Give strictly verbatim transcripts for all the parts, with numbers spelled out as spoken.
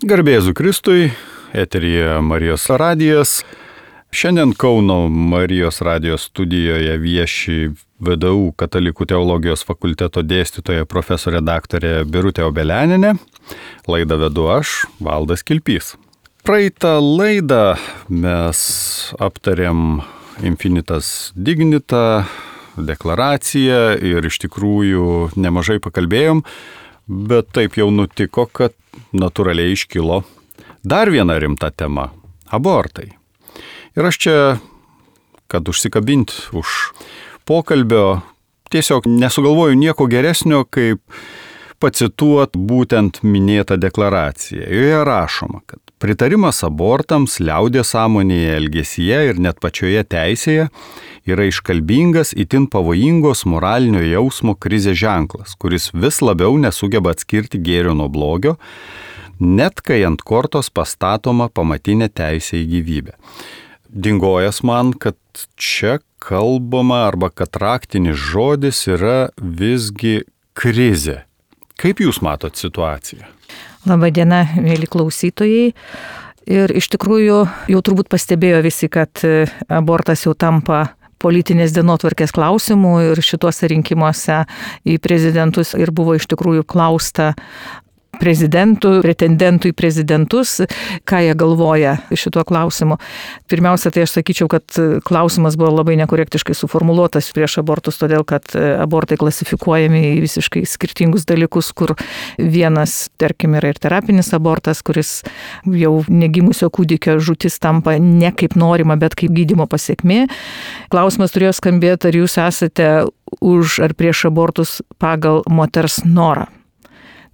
Garbėzu Kristui, eteryje Marijos radijas. Šiandien Kauno Marijos radijos studijoje vieši V D U Katalikų teologijos fakulteto dėstytoja profesorė daktarė Birutė Obelianinė. Laidą vedu aš, Valdas Kilpys. Praeitą laidą mes aptarėm Infinitas Dignita, deklaraciją ir iš tikrųjų nemažai pakalbėjom, bet taip jau nutiko, kad natūraliai iškilo dar viena rimta tema – abortai. Ir aš čia, kad užsikabint už pokalbio, tiesiog nesugalvoju nieko geresnio, kaip pacituot būtent minėtą deklaraciją. Joje rašoma, kad pritarimas abortams liaudies sąmonėje, elgesyje ir net pačioje teisėje yra iškalbingas, itin pavojingos moralinio jausmo krizės ženklas, kuris vis labiau nesugeba atskirti gėrio nuo blogio, net kai ant kortos pastatoma pamatinė teisė į gyvybę. Dingojas man, kad čia kalbama arba kad raktinis žodis yra visgi krizė. Kaip jūs matot situaciją? Labadiena, mėly klausytojai. Ir iš tikrųjų jau turbūt pastebėjo visi, kad abortas jau tampa politinės dienotvarkės klausimų ir šituose rinkimuose į prezidentus ir buvo iš tikrųjų klausta prezidentų, pretendentų į prezidentus, ką jie galvoja šituo klausimu. Pirmiausia, tai aš sakyčiau, kad klausimas buvo labai nekorektiškai suformuluotas prieš abortus, todėl kad abortai klasifikuojami į visiškai skirtingus dalykus, kur vienas, tarkim, yra ir terapinis abortas, kuris jau negimusio kūdikio žūtis tampa ne kaip norima, bet kaip gydymo pasekmė. Klausimas turėjo skambėti, ar jūs esate už ar prieš abortus pagal moters norą.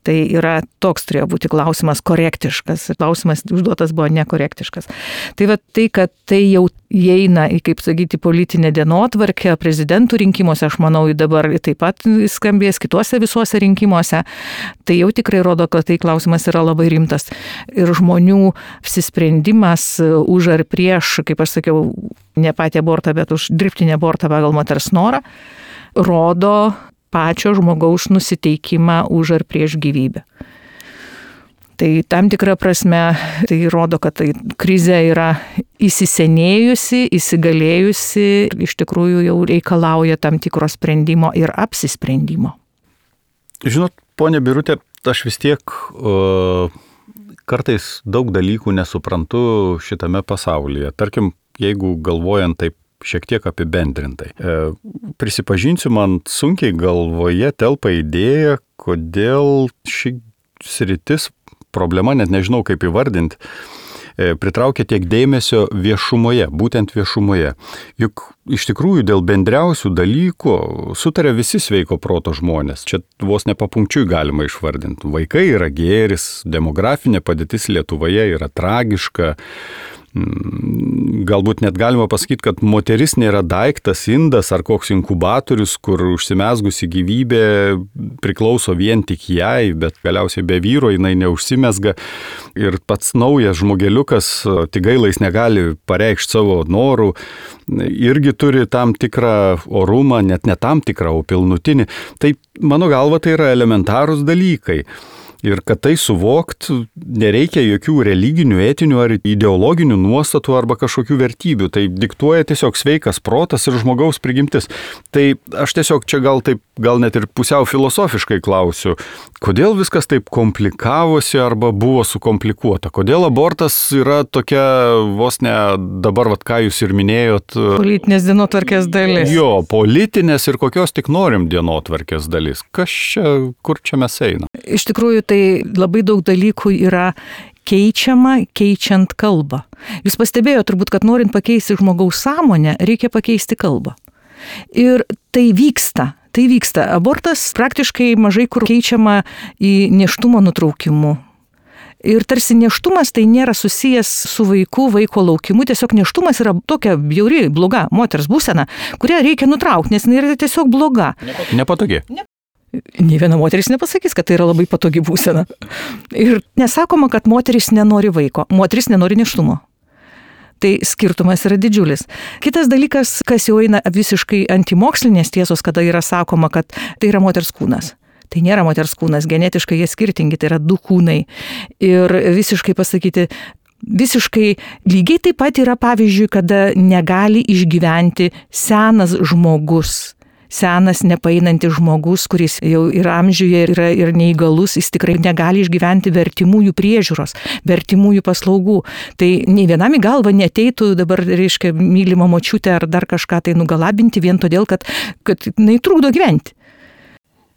Tai yra toks turėjo būti klausimas korektiškas. Klausimas užduotas buvo nekorektiškas. Tai va tai, kad tai jau įeina į, kaip sakyti, politinę dienotvarkę prezidentų rinkimuose, aš manau, dabar taip pat skambės kituose visuose rinkimuose, tai jau tikrai rodo, kad tai klausimas yra labai rimtas. Ir žmonių apsisprendimas už ar prieš, kaip aš sakiau, ne patį abortą, bet už dirbtinį abortą pagal moters norą, rodo pačio žmogaus nusiteikimą už ar prieš gyvybę. Tai tam tikra prasme tai rodo, kad tai krizė yra įsisenėjusi, įsigalėjusi, iš tikrųjų jau reikalauja tam tikro sprendimo ir apsisprendimo. Žinot, ponia Birutė, aš vis tiek uh, kartais daug dalykų nesuprantu šitame pasaulyje. Tarkim, jeigu galvojant taip šiek tiek apibendrintai. E, prisipažinsiu, man sunkiai galvoje telpa idėja, kodėl ši sritis, problema, net nežinau kaip įvardinti, e, pritraukia tiek dėmesio viešumoje, būtent viešumoje. Juk iš tikrųjų dėl bendriausių dalykų sutarė visi sveiko proto žmonės. Čia vos nepapunkčiui galima išvardinti. Vaikai yra gėris, demografinė padėtis Lietuvoje yra tragiška. Galbūt net galima pasakyti, kad moteris nėra daiktas, indas ar koks inkubatorius, kur užsimezgusi gyvybė priklauso vien tik jai, bet galiausiai be vyro jinai neužsimezga ir pats naujas žmogeliukas, tik gaila jis negali pareikšti savo norų, irgi turi tam tikrą orumą, net ne tam tikrą, o pilnutinį. Tai mano galva tai yra elementarūs dalykai. Ir kad tai suvokt, nereikia jokių religinių, etinių ar ideologinių nuostatų arba kažkokių vertybių. Tai diktuoja tiesiog sveikas protas ir žmogaus prigimtis. Tai aš tiesiog čia gal taip, gal net ir pusiau filosofiškai klausiu, kodėl viskas taip komplikavosi arba buvo sukomplikuota? Kodėl abortas yra tokia vos ne dabar, vat, ką jūs ir minėjot. Politinės dienotvarkės dalis. Jo, politinės ir kokios tik norim dienotvarkės dalis. Kas čia, kur čia mes einam? Iš tikrųjų, tai labai daug dalykų yra keičiama, keičiant kalbą. Jūs pastebėjote turbūt, kad norint pakeisti žmogaus sąmonę, reikia pakeisti kalbą. Ir tai vyksta. Tai vyksta. Abortas praktiškai mažai kur keičiama į nėštumo nutraukimu. Ir tarsi nėštumas tai nėra susijęs su vaiku, vaiko laukimu, tiesiog nėštumas yra tokia bjauri, bloga moters būsena, kurią reikia nutraukti, nes jinai yra tiesiog bloga. Nepatogi. Nė viena moteris nepasakys, kad tai yra labai patogi būsena. Ir nesakoma, kad moteris nenori vaiko, moteris nenori nėštumo. Tai skirtumas yra didžiulis. Kitas dalykas, kas jau eina visiškai antimokslinės tiesos, kada yra sakoma, kad tai yra moters kūnas. Tai nėra moters kūnas, genetiškai jie skirtingi, tai yra du kūnai. Ir visiškai pasakyti, visiškai lygiai taip pat yra pavyzdžiui, kada negali išgyventi senas žmogus. Senas, nepaeinantis žmogus, kuris jau yra amžiuje ir yra ir neįgalus, jis tikrai negali išgyventi vertimųjų priežiūros, vertimųjų paslaugų. Tai nei vienam į galvą neteitų dabar, reiškia, mylima močiutė ar dar kažką tai nugalabinti vien todėl, kad, kad jinai trukdo gyventi.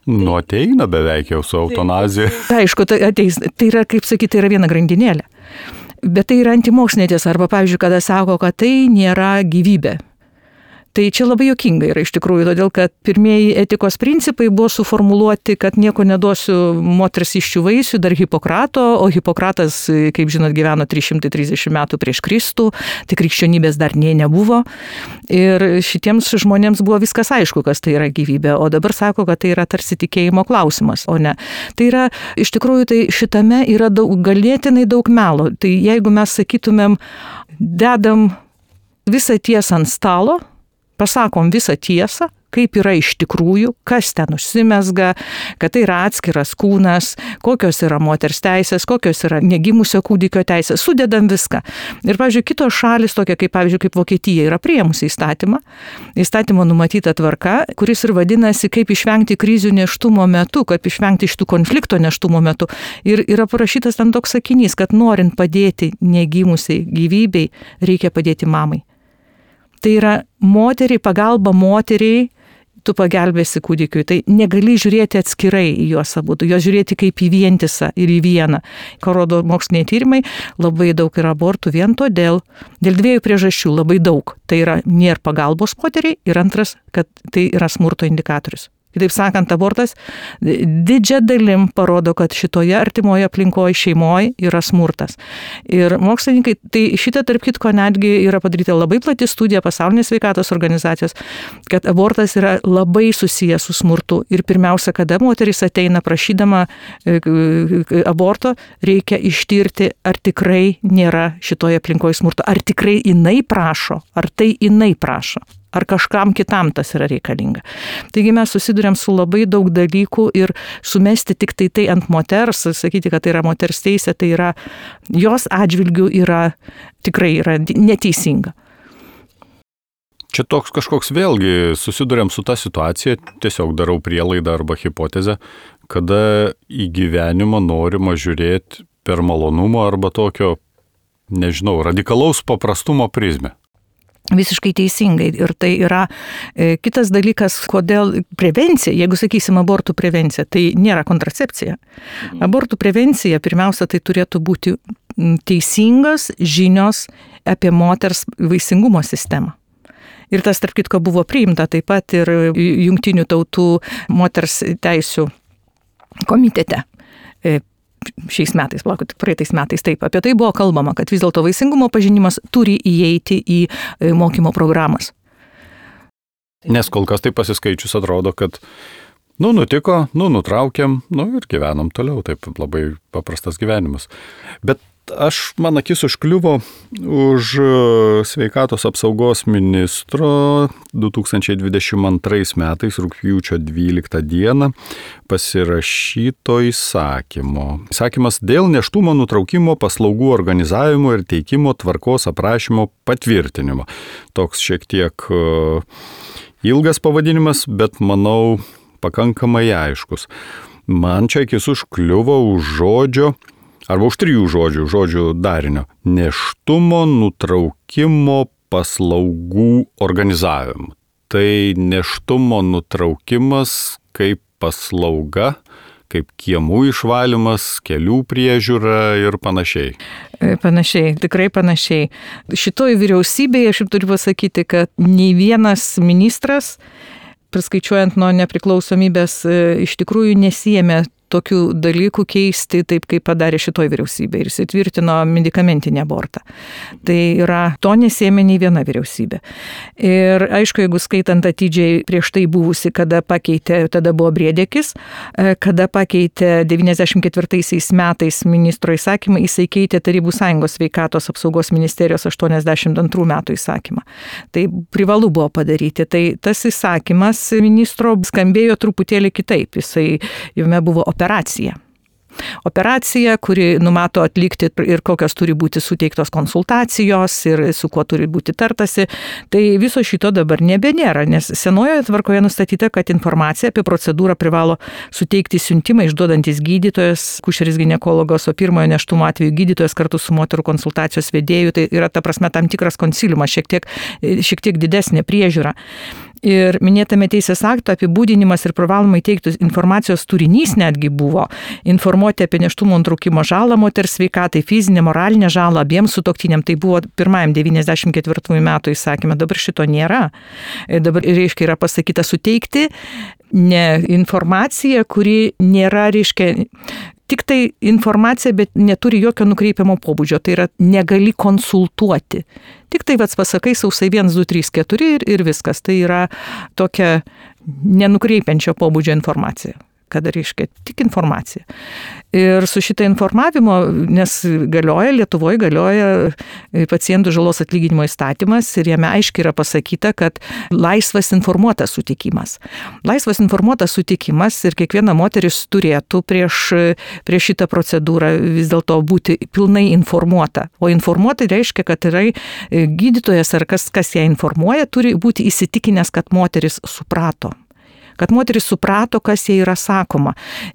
Nu, ateina beveik jau su eutanazija. Tai, aišku, tai ateis. Tai yra, kaip sakyti, tai yra viena grandinėlė. Bet tai yra antimokslinė tiesa. Arba, pavyzdžiui, kada sako, kad tai nėra gyvybė. Tai čia labai juokinga yra iš tikrųjų, todėl kad pirmieji etikos principai buvo suformuluoti, kad nieko neduosiu moters iščių vaisių, dar Hipokrato, o Hipokratas, kaip žinot, gyveno trys šimtai trisdešimt metų prieš Kristų, tai krikščionybės dar nė nebuvo. Ir šitiems žmonėms buvo viskas aišku, kas tai yra gyvybė, o dabar sako, kad tai yra tarsi tikėjimo klausimas, o ne. Tai yra, iš tikrųjų, tai šitame yra daug, galėtinai daug melo. Tai jeigu mes sakytumėm, dedam visą tiesą ant stalo, pasakom visą tiesą, kaip yra iš tikrųjų, kas ten užsimezga, kad tai yra atskiras kūnas, kokios yra moters teisės, kokios yra negimusio kūdikio teisės, sudedam viską. Ir, pavyzdžiui, kitos šalis, tokia kaip, pavyzdžiui, kaip Vokietija, yra priėmusi įstatymą, įstatymo numatyta tvarka, kuris ir vadinasi, kaip išvengti krizių nėštumo metu, kaip išvengti šitų konflikto nėštumo metu. Ir yra parašytas ten toks sakinys, kad norint padėti negimusiai gyvybei, reikia padėti mamai. Tai yra moteriai, pagalba moteriai, tu pagelbėsi kūdikiui. Tai negali žiūrėti atskirai į juos abu, juos žiūrėti kaip į vientisą ir į vieną. Ką rodo moksliniai tyrimai, labai daug yra abortų vien todėl, dėl dviejų priežasčių labai daug. Tai yra nėra pagalbos moteriai ir antras, kad tai yra smurto indikatorius. Kitaip sakant, abortas didžia dalim parodo, kad šitoje artimoje aplinkoje šeimoje yra smurtas. Ir mokslininkai, tai šitą tarp kitko netgi yra padaryta labai plati studija pasaulinės sveikatos organizacijos, kad abortas yra labai susijęs su smurtu. Ir pirmiausia, kada moteris ateina prašydama aborto, reikia ištirti, ar tikrai nėra šitoje aplinkoje smurto, ar tikrai jinai prašo, ar tai jinai prašo. Ar kažkam kitam tas yra reikalinga. Taigi mes susidurėm su labai daug dalykų ir sumesti tik tai tai ant moters, sakyti, kad tai yra moters teisė, tai yra, jos atžvilgių yra, tikrai yra neteisinga. Čia toks kažkoks vėlgi susidurėm su ta situacija, tiesiog darau prielaidą arba hipotezę, kada į gyvenimą norima žiūrėti per malonumo arba tokio, nežinau, radikalaus paprastumo prizmę. Visiškai teisingai. Ir tai yra e, kitas dalykas, kodėl prevencija, jeigu sakysim abortų prevencija, tai nėra kontracepcija. Abortų prevencija, pirmiausia, tai turėtų būti teisingas žinios apie moters vaisingumo sistemą. Ir tas, tarp kitko, buvo priimta taip pat ir Jungtinių tautų moters teisių komitete. E, šiais metais, palaukit, praeitais metais, taip, apie tai buvo kalbama, kad vis dėlto vaisingumo pažinimas turi įeiti į mokymo programas. Nes kol kas tai pasiskaičius atrodo, kad nu nutiko, nu nutraukėm, nu ir gyvenam toliau, taip labai paprastas gyvenimas. Bet aš, man akis užkliuvo už sveikatos apsaugos ministro du tūkstančiai dvidešimt antrais metais rugpjūčio dvyliktą dieną pasirašyto įsakymo. Įsakymas dėl nėštumo nutraukimo paslaugų organizavimo ir teikimo tvarkos aprašymo patvirtinimo. Toks šiek tiek ilgas pavadinimas, bet manau pakankamai aiškus. Man čia akis užkliuvo už žodžio arba už trijų žodžių, žodžių darinio. Nėštumo nutraukimo paslaugų organizavimo. Tai nėštumo nutraukimas kaip paslauga, kaip kiemų išvalymas, kelių priežiūra ir panašiai. Panašiai, tikrai panašiai. Šitoj vyriausybėje aš turiu pasakyti, kad nei vienas ministras, priskaičiuojant nuo nepriklausomybės, iš tikrųjų nesijėmė tokių dalykų keisti taip, kaip padarė šitoj vyriausybė ir jis įtvirtino medikamentinį abortą. Tai yra, to nesėmė nei viena vyriausybė. Ir aišku, jeigu skaitant atidžiai prieš tai buvusi, kada pakeitė, tada buvo Briedekis, kada pakeitė devyniasdešimt ketvirtaisiais metais ministro įsakymą, jisai keitė Tarybų Sąjungos sveikatos apsaugos ministerijos aštuoniasdešimt antrų metų įsakymą. Tai privalu buvo padaryti. Tai tas įsakymas ministro skambėjo truputėlį kitaip. Jisai, jame buvo operacija. Operacija, kuri numato atlikti ir kokios turi būti suteiktos konsultacijos ir su kuo turi būti tartasi. Tai viso šito dabar nebenėra, nes senojoje tvarkoje nustatyta, kad informaciją apie procedūrą privalo suteikti siuntimą išduodantis gydytojas, kušeris ginekologas, o pirmojo nėštumo atveju gydytojas kartu su moterų konsultacijos vedėju. Tai yra ta prasme tam tikras konsiliumas, šiek tiek, šiek tiek didesnė priežiūra. Ir minėtame teisės akto apibūdinimas ir privalomai teikti informacijos turinys netgi buvo informuoti apie nėštumo nutraukimo žalą moters sveikatai, fizinę, moralinę žalą abiems sutuoktiniam. Tai buvo pirmajam devyniasdešimt ketvirtųjų metų įsakyme, dabar šito nėra. Dabar reiškia yra pasakyta suteikti ne informaciją, kuri nėra, reiškia, tik tai informacija, bet neturi jokio nukreipiamo pobūdžio, tai yra negali konsultuoti. Tik tai vats pasakai sausai vienas, du, trys, keturi ir, ir viskas. Tai yra tokia nenukreipiančio pobūdžio informacija. Kada reiškia tik informacija. Ir su šitą informavimo, nes galioja, Lietuvoje galioja pacientų žalos atlyginimo įstatymas ir jame aiškiai yra pasakyta, kad laisvas informuotas sutikimas. Laisvas informuotas sutikimas ir kiekviena moteris turėtų prieš, prieš šitą procedūrą vis dėlto būti pilnai informuota. O informuota reiškia, kad yra gydytojas ar kas, kas ją informuoja, turi būti įsitikinęs, kad moteris suprato. Kad moteris suprato, kas jai yra sakoma.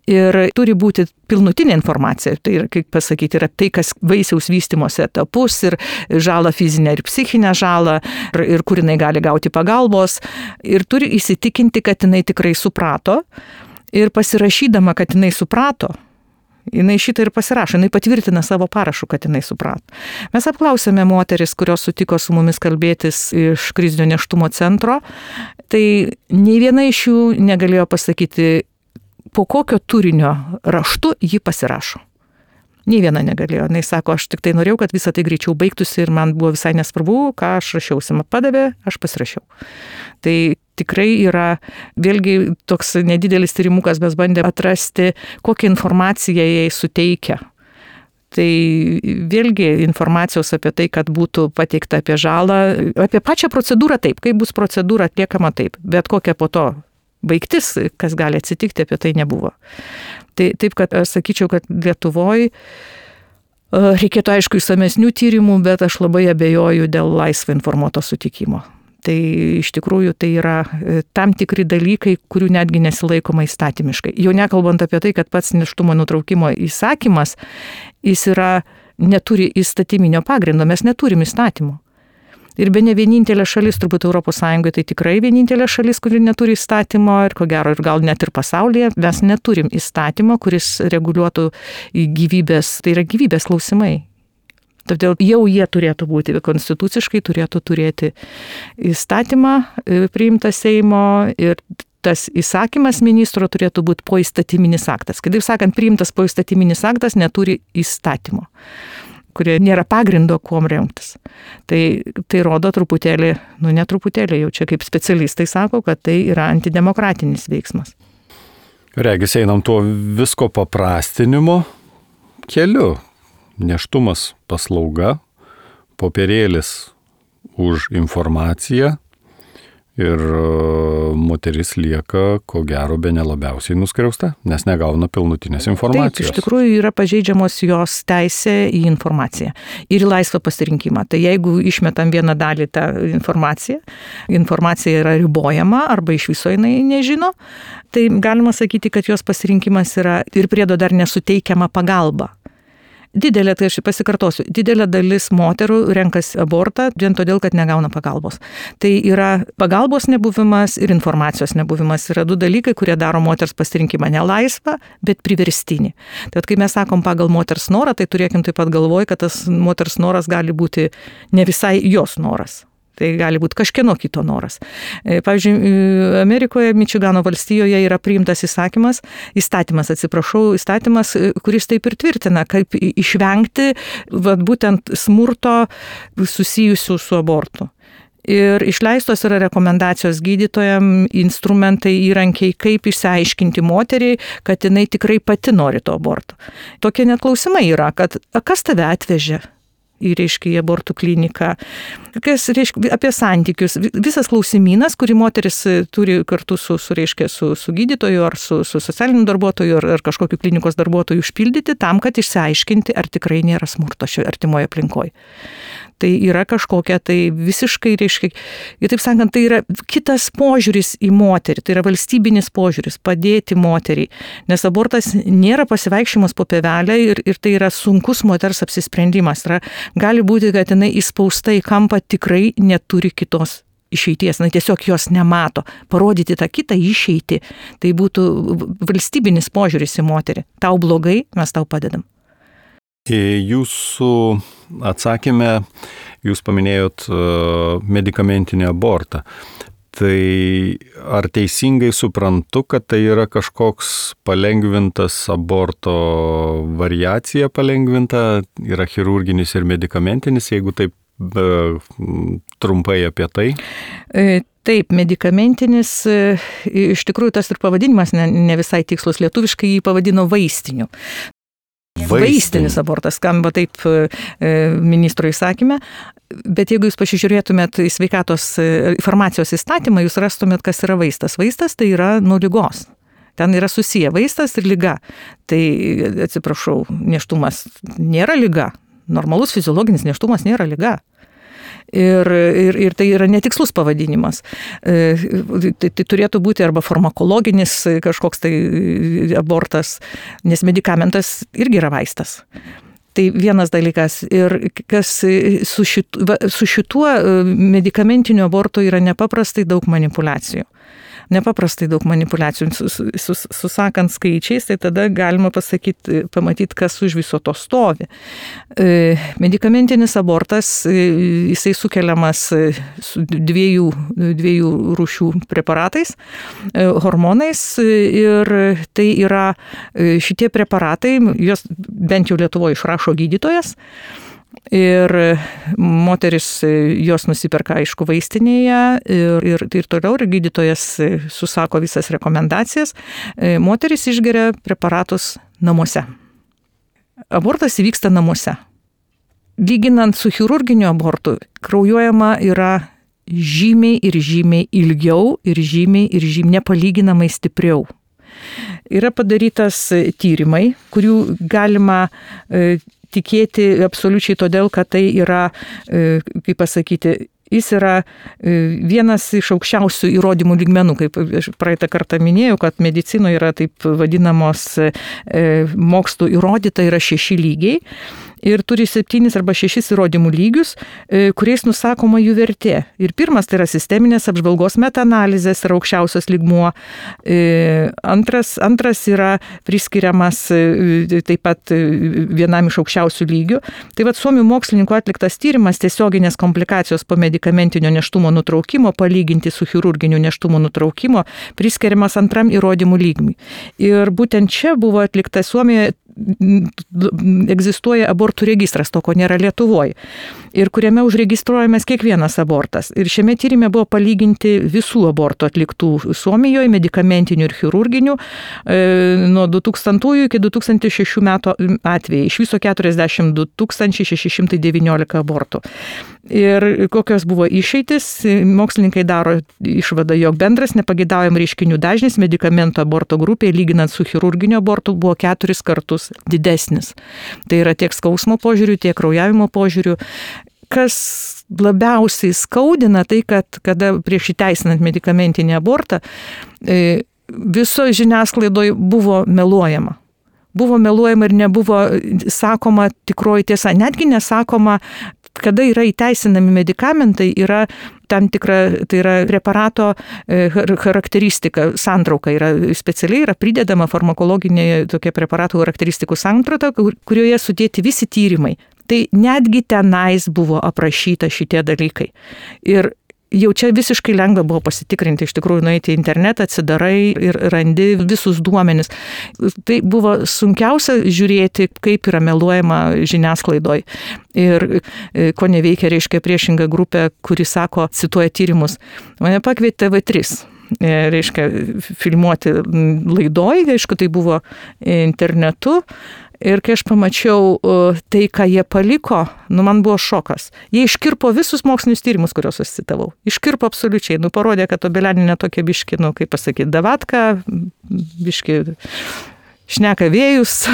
Ir turi būti pilnutinė informacija. Tai yra, kaip pasakyti, yra tai, kas vaisiaus vystymosi etapus ir žalą fizinę ir psichinę žalą ir, ir kur jinai gali gauti pagalbos. Ir turi įsitikinti, kad jinai tikrai suprato. Ir pasirašydama, kad jinai suprato, jinai šitą ir pasirašo, jinai patvirtina savo parašu, kad jinai suprato. Mes apklausėme moteris, kurios sutiko su mumis kalbėtis iš krizinio nėštumo centro, tai nei viena iš jų negalėjo pasakyti, po kokio turinio raštu ji pasirašo. Nei viena negalėjo. Jis sako, aš tik tai norėjau, kad visą tai greičiau baigtųsi ir man buvo visai nesvarbu, ką aš rašiausi. Man padavė, aš pasirašiau. Tai tikrai yra, vėlgi toks nedidelis tyrimukas, mes bandėme atrasti, kokią informaciją jai suteikia. Tai vėlgi informacijos apie tai, kad būtų pateikta apie žalą, apie pačią procedūrą taip, kaip bus procedūra atliekama taip, bet kokia po to baigtis, kas gali atsitikti, apie tai nebuvo. Tai taip, kad aš sakyčiau, kad Lietuvoje reikėtų aišku išsamesnių tyrimų, bet aš labai abejoju dėl laisvo informuoto sutikimo. Tai iš tikrųjų tai yra tam tikri dalykai, kurių netgi nesilaikoma įstatymiškai. Jau nekalbant apie tai, kad pats nėštumo nutraukimo įsakymas, jis yra, neturi įstatyminio pagrindo, mes neturim įstatymo. Ir be ne vienintelė šalis, turbūt Europos Sąjungoje, tai tikrai vienintelė šalis, kuri neturi įstatymo ir ko gero ir gal net ir pasaulyje, mes neturim įstatymo, kuris reguliuotų gyvybės, tai yra gyvybės klausimai. Todėl jau jie turėtų būti, konstituciškai turėtų turėti įstatymą priimtą Seimo ir tas įsakymas ministro turėtų būti poįstatyminis aktas. Kitaip sakant, priimtas poįstatyminis aktas neturi įstatymo, kurie nėra pagrindo kuom remtis. Tai, tai rodo truputėlį, nu ne truputėlį, jau čia kaip specialistai sako, kad tai yra antidemokratinis veiksmas. Regis einam tuo visko paprastinimo keliu. Nėštumas paslauga, popierėlis už informaciją ir moteris lieka, ko gero, bene labiausiai nuskriausta, nes negauna pilnutinės informacijos. Taip, iš tikrųjų yra pažeidžiamos jos teisė į informaciją ir į laisvą pasirinkimą. Tai jeigu išmetam vieną dalį tą informaciją, informacija yra ribojama arba iš viso jinai nežino, tai galima sakyti, kad jos pasirinkimas yra ir priedo dar nesuteikiama pagalba. Didelė, tai aš pasikartosiu, didelė dalis moterų renkasi abortą vien todėl, kad negauna pagalbos. Tai yra pagalbos nebuvimas ir informacijos nebuvimas. Yra du dalykai, kurie daro moters pasirinkimą ne laisvą, bet priverstinį. Tad kai mes sakom pagal moters norą, tai turėkim taip pat galvoj, kad tas moters noras gali būti ne visai jos noras. Tai gali būti kažkieno kito noras. Pavyzdžiui, Amerikoje, Mičigano valstijoje yra priimtas įsakymas, įstatymas, atsiprašau, įstatymas, kuris taip ir tvirtina, kaip išvengti vat, būtent smurto susijusių su abortu. Ir išleistos yra rekomendacijos gydytojams, instrumentai, įrankiai, kaip išsiaiškinti moteriai, kad jinai tikrai pati nori to aborto. Tokie net klausimai yra, kad kas tave atvežė į, reiškia, į abortų kliniką, kas, reiškia, apie santykius, visas klausimynas, kurį moteris turi kartu su, su, reiškia, su, su gydytoju ar su, su socialiniu darbuotoju ar, ar kažkokiu klinikos darbuotoju užpildyti tam, kad išsiaiškinti, ar tikrai nėra smurto šioje artimoje aplinkoje. Tai yra kažkokia, tai visiškai, reiškia, ir taip sakant, tai yra kitas požiūris į moterį, tai yra valstybinis požiūris, padėti moteriai, nes abortas nėra pasivaikščiojimas po pievelę ir, ir tai yra sunkus moters apsisprendimas. Yra, gali būti, kad jinai įspausta į kampą tikrai neturi kitos išeities, na tiesiog jos nemato. Parodyti tą kitą išeitį, tai būtų valstybinis požiūris į moterį. Tau blogai, mes tau padedam. Jūsų atsakymę, jūs paminėjot medikamentinį abortą. Tai ar teisingai suprantu, kad tai yra kažkoks palengvintas aborto variacija palengvinta, yra chirurginis ir medikamentinis, jeigu taip be, trumpai apie tai? Taip, medikamentinis, iš tikrųjų tas ir pavadinimas ne, ne visai tikslus, lietuviškai jį pavadino vaistiniu. Vaistinis abortas skamba taip e, ministro įsakyme, bet jeigu jūs pasižiūrėtumėt į sveikatos farmacijos įstatymą, jūs rastumėt, kas yra vaistas. Vaistas tai yra nuo ligos. Ten yra susiję vaistas ir liga. Tai, atsiprašau, nėštumas nėra liga. Normalus fiziologinis nėštumas nėra liga. Ir, ir, ir tai yra netikslus pavadinimas. E, tai, tai turėtų būti arba farmakologinis kažkoks tai abortas, nes medikamentas irgi yra vaistas. Tai vienas dalykas. Ir kas su, šitu, su šituo medikamentiniu abortu yra nepaprastai daug manipulacijų. Nepaprastai daug manipulacijų. Sus, susakant skaičiais, tai tada galima pasakyti, pamatyti, kas už viso to stovi. E, medikamentinis abortas, jisai sukeliamas su dviejų, dviejų rūšių preparatais, e, hormonais, ir tai yra šitie preparatai, jos bent jau Lietuvoje išrašo gydytojas. Ir moteris jos nusiperka, aišku, vaistinėje ir, ir, ir toliau ir gydytojas susako visas rekomendacijas. Moteris išgeria preparatus namuose. Abortas įvyksta namuose. Lyginant su chirurginiu abortu, kraujuojama yra žymiai ir žymiai ilgiau ir žymiai ir žymiai nepalyginamai stipriau. Yra padarytas tyrimai, kurių galima tikėti absoliučiai todėl, kad tai yra, kaip pasakyti, jis yra vienas iš aukščiausių įrodymų lygmenų, kaip praeitą kartą minėjau, kad medicinoje yra taip vadinamos mokslų įrodyta yra šeši lygiai. Ir turi septynis arba šešis įrodymų lygius, kuriais nusakoma jų vertė. Ir pirmas tai yra sisteminės apžvalgos metaanalizės ir aukščiausias lygmuo. Antras, antras yra priskiriamas taip pat vienam iš aukščiausių lygių. Tai vad suomių mokslininkų atliktas tyrimas tiesioginės komplikacijos po medikamentinio nėštumo nutraukimo palyginti su chirurginiu nėštumo nutraukimo priskiriamas antram įrodymų lygmiui. Ir būtent čia buvo atlikta Suomijoje egzistuoja abortų registras, to ko nėra Lietuvoje, ir kuriame užregistruojamas kiekvienas abortas. Ir šiame tyrime buvo palyginti visų abortų atliktų Suomijoje, medikamentinių ir chirurginių, e, nuo du tūkstantųjų iki du tūkstančiai šešių metų atvejai. Iš viso keturiasdešimt du tūkstančiai šeši šimtai devyniolika abortų. Ir kokios buvo išeitis, mokslininkai daro išvadą, jog bendras nepageidaujamų reiškinių dažnis medikamentų aborto grupėje lyginant su chirurginiu abortu buvo keturis kartus didesnis. Tai yra tiek skausmo požiūrių, tiek kraujavimo požiūrių. Kas labiausiai skaudina, tai kad kada prieš įteisinant medikamentinį abortą, viso žiniasklaidoje buvo meluojama. Buvo meluojama ir nebuvo sakoma tikroji tiesa. Netgi nesakoma, kada yra įteisinami medikamentai, yra tam tikra, tai yra preparato charakteristika, santrauka yra specialiai yra pridedama farmakologinė tokia preparatų charakteristikų santrauka, kurioje sudėti visi tyrimai. Tai netgi tenais buvo aprašyta šitie dalykai. Ir jau čia visiškai lengva buvo pasitikrinti, iš tikrųjų nueiti į internetą, atsidarai ir randi visus duomenis. Tai buvo sunkiausia žiūrėti, kaip yra meluojama žiniasklaidoj. Ir ko neveikia, reiškia, priešinga grupė, kuri sako, cituoja tyrimus. Mane pakvietė T V trys. Reiškia, filmuoti laidoj, aišku, tai buvo internetu. Ir kai aš pamačiau tai, ką jie paliko, nu man buvo šokas. Jie iškirpo visus mokslinius tyrimus, kuriuos aš citavau. Iškirpo absoliučiai. Nu parodė, kad Obeleninė tokia biški, nu kaip pasakyti, davatka, biški šneka vėjus.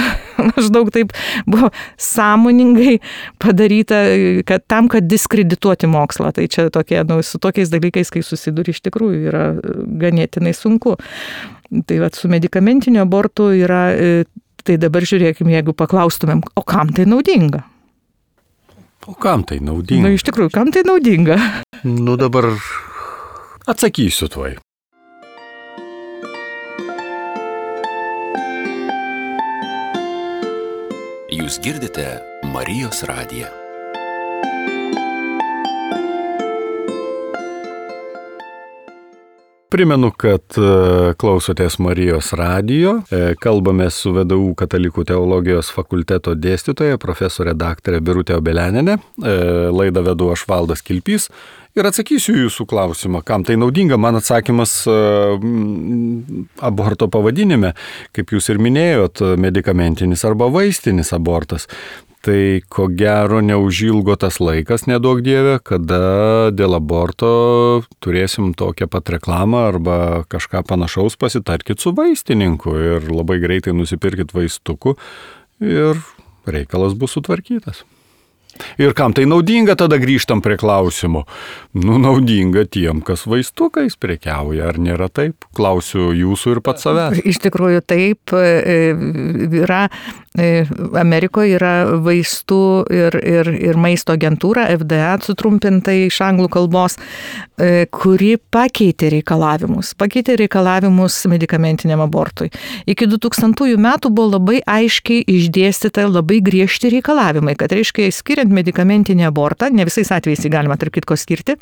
Maždaug taip buvo sąmoningai padaryta, kad tam, kad diskredituoti mokslą. Tai čia tokie, nu, su tokiais dalykais, kai susiduri, iš tikrųjų yra ganėtinai sunku. Tai vat, su medikamentiniu abortu yra... Tai dabar žiūrėkime, jeigu paklaustumėm, o kam tai naudinga? O kam tai naudinga? Na, iš tikrųjų, kam tai naudinga? Nu, dabar atsakysiu tuoj. Jūs girdite Marijos radiją. Primenu, kad klausotės Marijos radijo. Kalbame su V D U Katalikų teologijos fakulteto dėstytoja, profesorė daktarė Birutė Obeleninė. Laidą vedu aš Valdas Kilpys ir atsakysiu jūsų klausimą, kam tai naudinga. Man atsakymas aborto pavadinime, kaip jūs ir minėjot, medikamentinis arba vaistinis abortas. Tai ko gero neužilgo tas laikas, neduok Dieve, kada dėl aborto turėsim tokią pat reklamą arba kažką panašaus, pasitarkit su vaistininku ir labai greitai nusipirkit vaistukų ir reikalas bus sutvarkytas. Ir kam tai naudinga, tada grįžtam prie klausimo. Nu, naudinga tiem, kas vaistukais prekiauja, ar nėra taip? Klausiu jūsų ir pats savęs. Iš tikrųjų taip, yra, Amerikoje yra vaistų ir, ir, ir maisto agentūra, F D A sutrumpintai iš anglų kalbos, kuri pakeitė reikalavimus, pakeitė reikalavimus medikamentiniam abortui. Iki du tūkstantųjų metų buvo labai aiškiai išdėstyta labai griežti reikalavimai, kad reiškia skiriant medikamentinį abortą, ne visais atvejais jį galima tarp kitko skirti,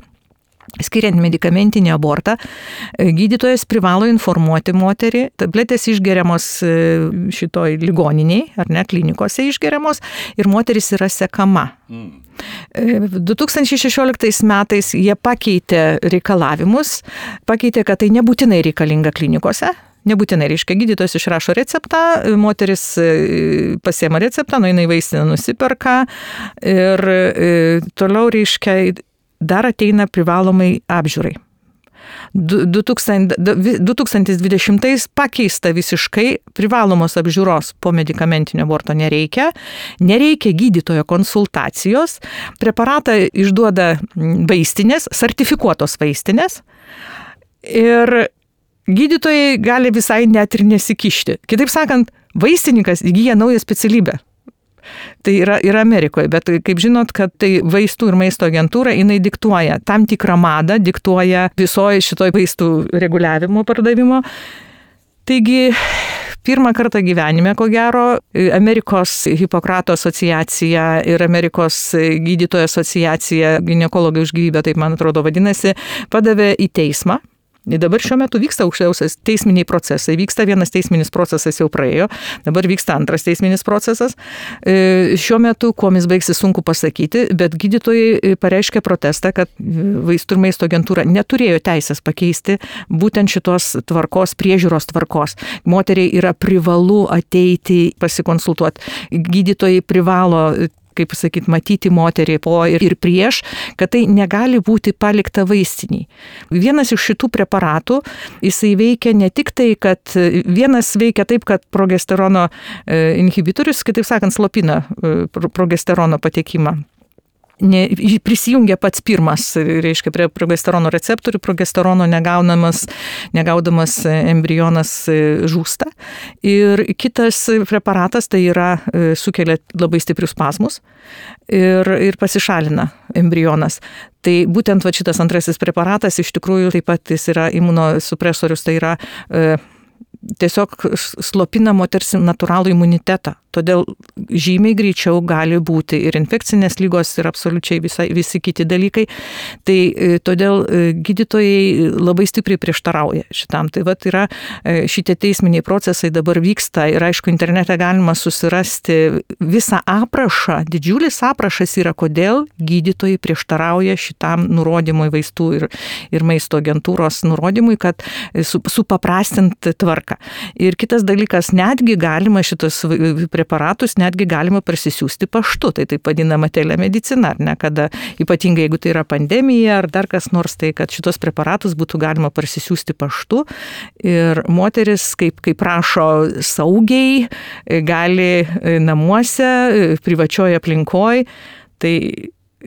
skiriant medikamentinį abortą, gydytojas privalo informuoti moterį, tabletės išgeriamos šitoj ligoniniai, ar ne, klinikose išgeriamos, ir moteris yra sekama. Mm. du tūkstančiai šešioliktais metais jie pakeitė reikalavimus, pakeitė, kad tai nebūtinai reikalinga klinikose. Nebūtinai, reiškia, gydytojas išrašo receptą, moteris pasiema receptą, nueina į vaistinę, nusiperka ir toliau, reiškia, dar ateina privalomai apžiūrai. du tūkstančiai dvidešimtais pakeista visiškai, privalomos apžiūros po medikamentinio aborto nereikia, nereikia gydytojo konsultacijos, preparatą išduoda vaistinės, sertifikuotos vaistinės ir gydytojai gali visai net ir nesikišti. Kitaip sakant, vaistininkas įgyja naują specialybę. Tai yra, yra Amerikoje, bet kaip žinot, kad tai vaistų ir maisto agentūra, jinai diktuoja tam tikrą madą, diktuoja visoje šitoj vaistų reguliavimo pardavimo. Taigi, pirmą kartą gyvenime, ko gero, Amerikos Hipokrato asociacija ir Amerikos gydytojų asociacija, ginekologai už gyvybę, taip man atrodo vadinasi, padavė į teismą. Dabar šiuo metu vyksta aukščiausias teisminiai procesai. Vyksta vienas teisminis procesas jau praėjo, dabar vyksta antras teisminis procesas. Šiuo metu, kuo jis baigsis, sunku pasakyti, bet gydytojai pareiškė protestą, kad vaistų ir maisto agentūra neturėjo teisės pakeisti būtent šitos tvarkos, priežiūros tvarkos. Moteriai yra privalu ateiti pasikonsultuoti. Gydytojai privalo, kaip sakyti, matyti moterį po ir, ir prieš, kad tai negali būti palikta vaistiniai. Vienas iš šitų preparatų, jisai veikia ne tik tai, kad vienas veikia taip, kad progesterono inhibitorius, kitaip sakant, slopina progesterono patekimą. Ne, prisijungia pats pirmas, reiškia, prie progesterono receptorių, progesterono negaunamas, negaudamas embrionas žūsta. Ir kitas preparatas tai yra sukelia labai stiprius spazmus ir, ir pasišalina embrionas. Tai būtent va, šitas antrasis preparatas iš tikrųjų taip pat jis yra imunosupresorius, tai yra e, tiesiog slopina moters natūralų imunitetą. Todėl žymiai greičiau gali būti ir infekcinės lygos, ir absoliučiai visa, visi kiti dalykai. Tai todėl gydytojai labai stipriai prieštarauja šitam. Tai vat yra šitie teisminiai procesai dabar vyksta ir aišku, internete galima susirasti visą aprašą. Didžiulis aprašas yra, kodėl gydytojai prieštarauja šitam nurodymui vaistų ir, ir maisto agentūros nurodymui, kad su, supaprastint tvarką. Ir kitas dalykas, netgi galima šitos preparatus netgi galima parsisiųsti paštu, tai taip vadinama telemedicina, ar ne, kada ypatingai jeigu tai yra pandemija ar dar kas nors, tai kad šitos preparatus būtų galima parsisiųsti paštu ir moteris, kaip, kaip prašo saugiai, gali namuose, privačioje aplinkoje, tai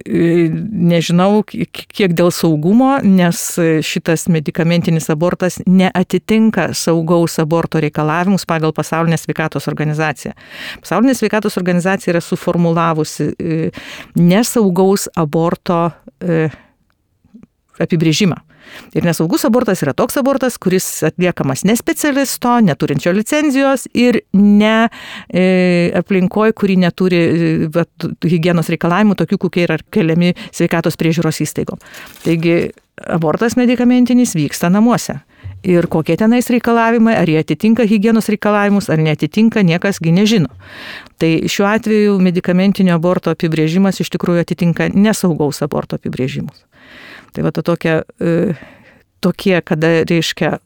nežinau, kiek dėl saugumo, nes šitas medikamentinis abortas neatitinka saugaus aborto reikalavimus pagal Pasaulinę sveikatos organizaciją. Pasaulinė sveikatos organizacija yra suformulavusi nesaugaus aborto apibrėžimą. Ir nesaugus abortas yra toks abortas, kuris atliekamas ne specialisto, neturinčio licenzijos ir ne e, aplinkoje, kuri neturi e, higienos reikalavimų, tokių, kokie yra keliami sveikatos priežiūros įstaigom. Taigi abortas medikamentinis vyksta namuose. Ir kokie tenais reikalavimai, ar jie atitinka higienos reikalavimus, ar neatitinka, niekasgi nežino. Tai šiuo atveju medikamentinio aborto apibrėžimas iš tikrųjų atitinka nesaugaus aborto apibrėžimus. Tai va to tokia, e, tokie, kada reiškia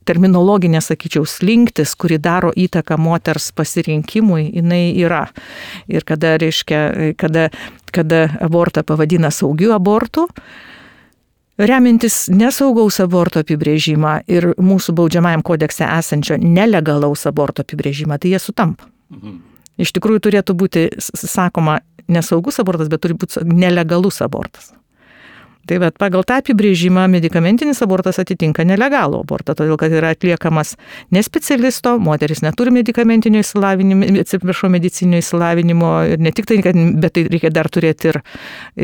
terminologinė, sakyčiau, slinktis, kuri daro įtaką moters pasirinkimui, jinai yra. Ir kada, reiškia, kada, kada abortą pavadina saugiu abortu, remintis nesaugaus aborto apibrėžimą ir mūsų baudžiamajam kodekse esančio nelegalaus aborto apibrėžimą, tai jie sutampa. Mhm. Iš tikrųjų turėtų būti, sakoma, nesaugus abortas, bet turi būti nelegalus abortas. Tai bet pagal tą apibrėžimą medikamentinis abortas atitinka nelegalų abortą, todėl kad yra atliekamas ne specialisto, moteris neturi medikamentinio įsilavinimo, atsiprašau, medicinio įsilavinimo, ir ne tik tai, bet tai reikia dar turėti ir,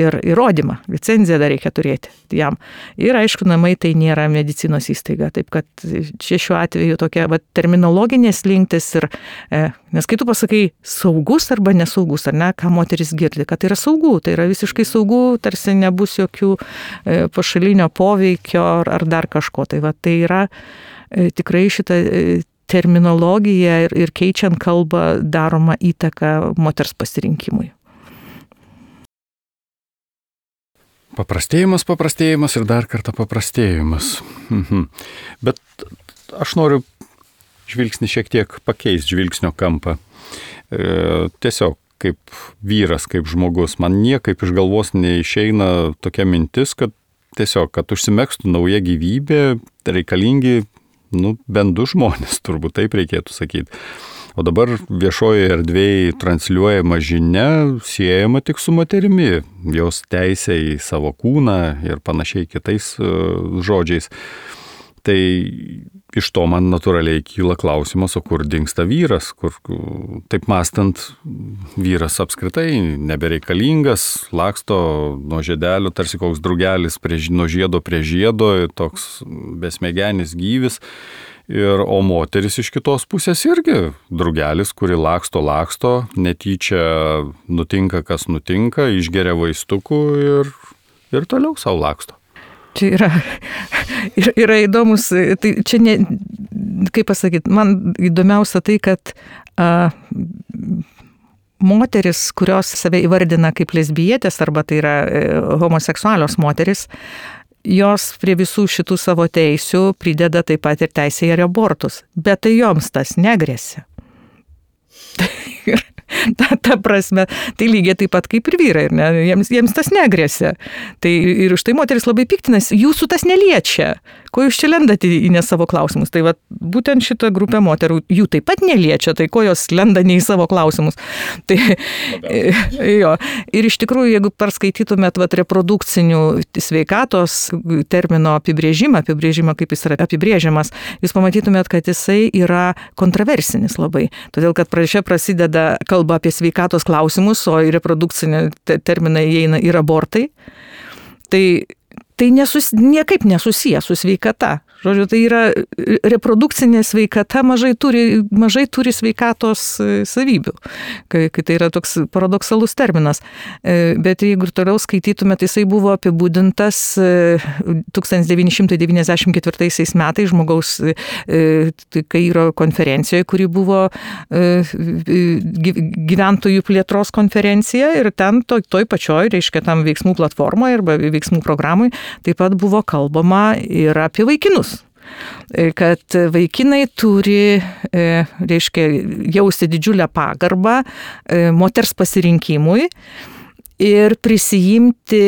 ir įrodymą, licenciją dar reikia turėti jam. Ir aišku, namai tai nėra medicinos įstaiga, taip kad čia šiuo atveju tokia va, terminologinės linktis ir, e, nes kai tu pasakai saugus arba nesaugus, ar ne, ką moteris girdi, kad tai yra saugu, tai yra visiškai saugu, tarsi nebus jokių pašalinio poveikio ar, ar dar kažko. Tai, va, tai yra e, tikrai šita e, terminologija ir, ir keičiant kalbą daroma įtaka moters pasirinkimui. Paprastėjimas, paprastėjimas ir dar kartą paprastėjimas. Mhm. Bet aš noriu žvilgsnį šiek tiek pakeisti, žvilgsnio kampą. E, tiesiog kaip vyras, kaip žmogus, man niekaip iš galvos neišeina tokia mintis, kad tiesiog, kad užsimegstų nauja gyvybė, reikalingi, nu, bent du žmonės, turbūt taip reikėtų sakyti. O dabar viešoje erdvėje transliuojama žinia siejama tik su moterimi, jos teisė į savo kūną ir panašiai kitais uh, žodžiais. Tai iš to man natūraliai kyla klausimas, o kur dingsta vyras, kur, taip mąstant, vyras apskritai nebereikalingas, laksto nuo žiedelio, tarsi koks drugelis prie, nuo žiedo prie žiedo, toks besmegenis gyvis. Ir, o moteris iš kitos pusės irgi drugelis, kuri laksto, laksto, netyčia nutinka, kas nutinka, išgeria vaistukų ir, ir toliau savo laksto. Čia yra, yra, yra įdomus, tai čia ne, kaip pasakyti, man įdomiausia tai, kad a, moteris, kurios save įvardina kaip lesbietės, arba tai yra e, homoseksualios moteris, jos prie visų šitų savo teisių prideda taip pat ir teisę į abortus, bet tai joms tas negresia. Ta, ta prasme, tai lygiai taip pat kaip ir vyrai, ne? Jiems, jiems tas negresia. Tai ir už tai moteris labai piktinasi, jūsų tas neliečia, ko jūs čia lendate į ne savo klausimus. Tai va, būtent šita grupė moterų jų taip pat neliečia, tai ko jos lenda ne į savo klausimus. Tai, jo. Ir iš tikrųjų, jeigu perskaitytumėt vat, reprodukcinių sveikatos termino apibrėžimą, apibrėžimą, kaip jis yra apibrėžiamas, jūs pamatytumėt, kad jisai yra kontroversinis labai. Todėl, kad čia prasideda kalba apie sveikatos klausimus, o į reprodukcinį terminą įeina ir abortai. Tai, tai nesus, niekaip nesusiję su sveikata. Žodžiu, tai yra reprodukcinė sveikata mažai turi, mažai turi sveikatos savybių, kai, kai tai yra toks paradoksalus terminas. Bet jeigu ir toliau skaitytume, tai jisai buvo apibūdintas tūkstantis devyni šimtai devyniasdešimt ketvirtaisiais metais žmogaus Kairo konferencijoje, kuri buvo gyventojų plėtros konferencija ir ten toj, toj pačioj, reiškia, tam veiksmų platformoje arba veiksmų programai taip pat buvo kalbama ir apie vaikinus. Kad vaikinai turi, reiškia, jausti didžiulę pagarbą moters pasirinkimui ir prisijimti,